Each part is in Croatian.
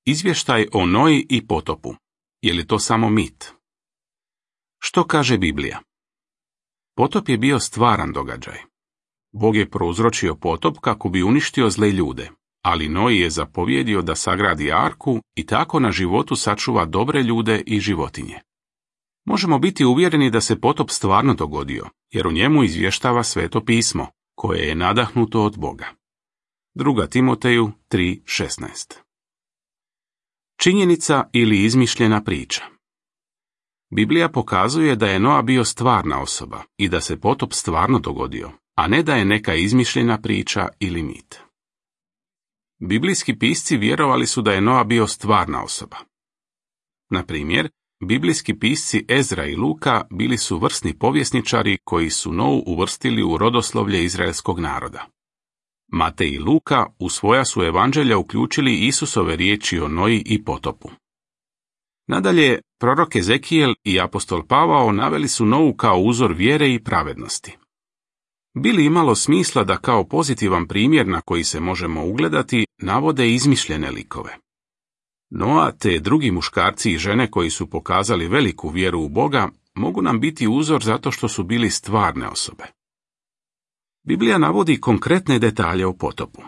Izvještaj o Noji i potopu. Je li to samo mit? Što kaže Biblija? Potop je bio stvaran događaj. Bog je prouzročio potop kako bi uništio zle ljude, ali Noji je zapovjedio da sagradi arku i tako na životu sačuva dobre ljude i životinje. Možemo biti uvjereni da se potop stvarno dogodio, jer u njemu izvještava Sveto pismo, koje je nadahnuto od Boga. 2. Timoteju 3:16. Činjenica ili izmišljena priča. Biblija pokazuje da je Noa bio stvarna osoba i da se potop stvarno dogodio, a ne da je neka izmišljena priča ili mit. Biblijski pisci vjerovali su da je Noa bio stvarna osoba. Na primjer, biblijski pisci Ezra i Luka bili su vrsni povjesničari koji su Nou uvrstili u rodoslovlje izraelskog naroda. Matej i Luka u svoja su evanđelja uključili Isusove riječi o Noji i potopu. Nadalje, prorok Ezekijel i apostol Pavao naveli su Novu kao uzor vjere i pravednosti. Bi li imalo smisla da kao pozitivan primjer na koji se možemo ugledati navode izmišljene likove? Noa te drugi muškarci i žene koji su pokazali veliku vjeru u Boga mogu nam biti uzor zato što su bili stvarne osobe. Biblija navodi konkretne detalje o potopu.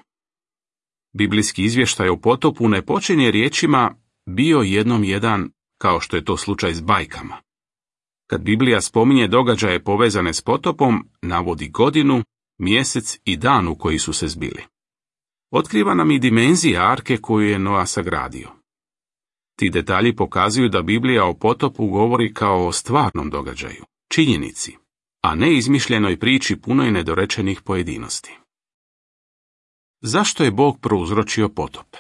Biblijski izvještaj o potopu ne počinje riječima bio jednom jedan, kao što je to slučaj s bajkama. Kad Biblija spominje događaje povezane s potopom, navodi godinu, mjesec i dan u koji su se zbili. Otkriva nam i dimenzije arke koju je Noa sagradio. Ti detalji pokazuju da Biblija o potopu govori kao o stvarnom događaju, činjenici, a ne izmišljenoj priči punoj nedorečenih pojedinosti. Zašto je Bog prouzročio potop?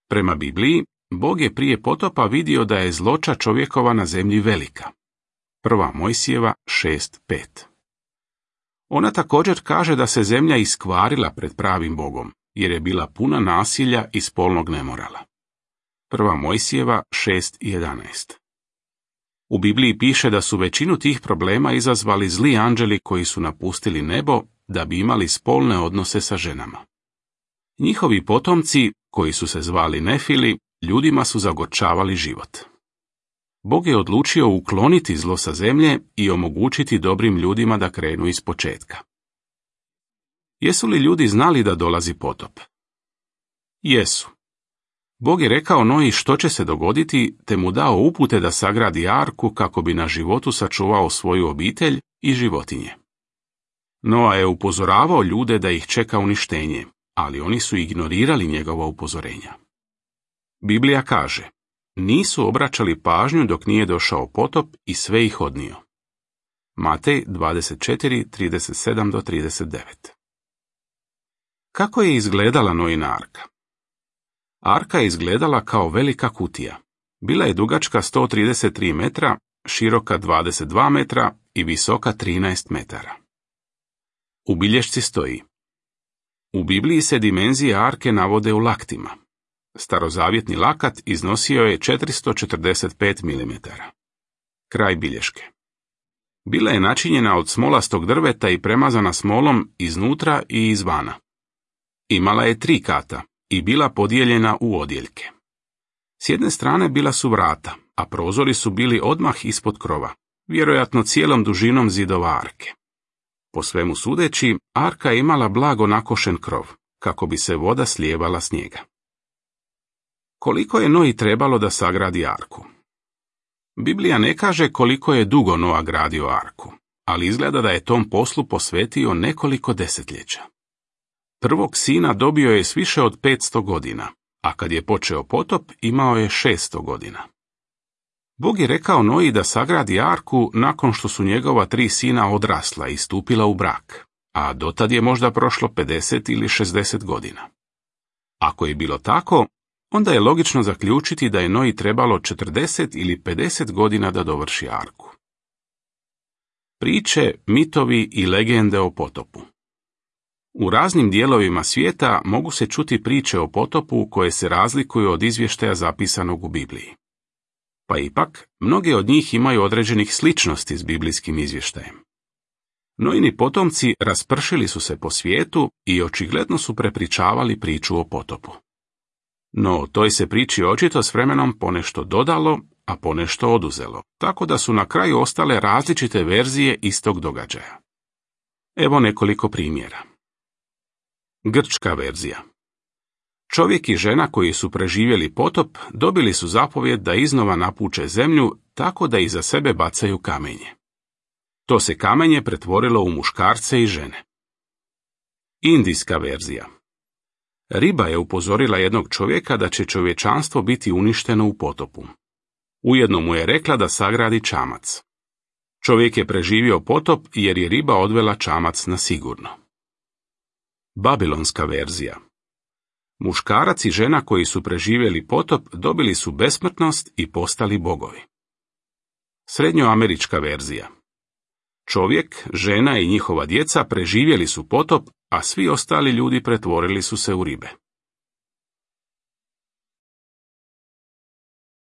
Prema Bibliji, Bog je prije potopa vidio da je zloća čovjekova na zemlji velika. 1. Mojsijeva 6:5. Ona također kaže da se zemlja iskvarila pred pravim Bogom, jer je bila puna nasilja i spolnog nemorala. 1. Mojsijeva 6:11. U Bibliji piše da su većinu tih problema izazvali zli anđeli koji su napustili nebo da bi imali spolne odnose sa ženama. Njihovi potomci, koji su se zvali Nefili, ljudima su zagorčavali život. Bog je odlučio ukloniti zlo sa zemlje i omogućiti dobrim ljudima da krenu iz početka. Jesu li ljudi znali da dolazi potop? Jesu. Bog je rekao Noji što će se dogoditi, te mu dao upute da sagradi arku kako bi na životu sačuvao svoju obitelj i životinje. Noa je upozoravao ljude da ih čeka uništenje, ali oni su ignorirali njegova upozorenja. Biblija kaže, nisu obraćali pažnju dok nije došao potop i sve ih odnio. Matej 24:37-39. Kako je izgledala Noina arka? Arka je izgledala kao velika kutija. Bila je dugačka 133 metra, široka 22 metra i visoka 13 metara. U bilješci stoji: u Bibliji se dimenzije arke navode u laktima. Starozavjetni lakat iznosio je 445 mm. Kraj bilješke. Bila je načinjena od smolastog drveta i premazana smolom iznutra i izvana. Imala je 3 kata i bila podijeljena u odjeljke. S jedne strane bila su vrata, a prozori su bili odmah ispod krova, vjerojatno cijelom dužinom zidova arke. Po svemu sudeći, arka je imala blago nakošen krov, kako bi se voda slijevala s njega. Koliko je Noji trebalo da sagradi arku? Biblija ne kaže koliko je dugo Noa gradio arku, ali izgleda da je tom poslu posvetio nekoliko desetljeća. Prvog sina dobio je s više od 500 godina, a kad je počeo potop imao je 600 godina. Bog je rekao Noji da sagradi arku nakon što su njegova 3 sina odrasla i stupila u brak, a dotad je možda prošlo 50 ili 60 godina. Ako je bilo tako, onda je logično zaključiti da je Noji trebalo 40 ili 50 godina da dovrši arku. Priče, mitovi i legende o potopu. U raznim dijelovima svijeta mogu se čuti priče o potopu koje se razlikuju od izvještaja zapisanog u Bibliji. Pa ipak, mnoge od njih imaju određenih sličnosti s biblijskim izvještajem. Noini potomci raspršili su se po svijetu i očigledno su prepričavali priču o potopu. No, toj se priči očito s vremenom ponešto dodalo, a ponešto oduzelo, tako da su na kraju ostale različite verzije istog događaja. Evo nekoliko primjera. Grčka verzija. Čovjek i žena koji su preživjeli potop dobili su zapovjed da iznova napuče zemlju tako da iza sebe bacaju kamenje. To se kamenje pretvorilo u muškarce i žene. Indijska verzija. Riba je upozorila jednog čovjeka da će čovječanstvo biti uništeno u potopu. Ujedno mu je rekla da sagradi čamac. Čovjek je preživio potop jer je riba odvela čamac na sigurno. Babilonska verzija. Muškarac i žena koji su preživjeli potop dobili su besmrtnost i postali bogovi. Srednjoamerička verzija. Čovjek, žena i njihova djeca preživjeli su potop, a svi ostali ljudi pretvorili su se u ribe.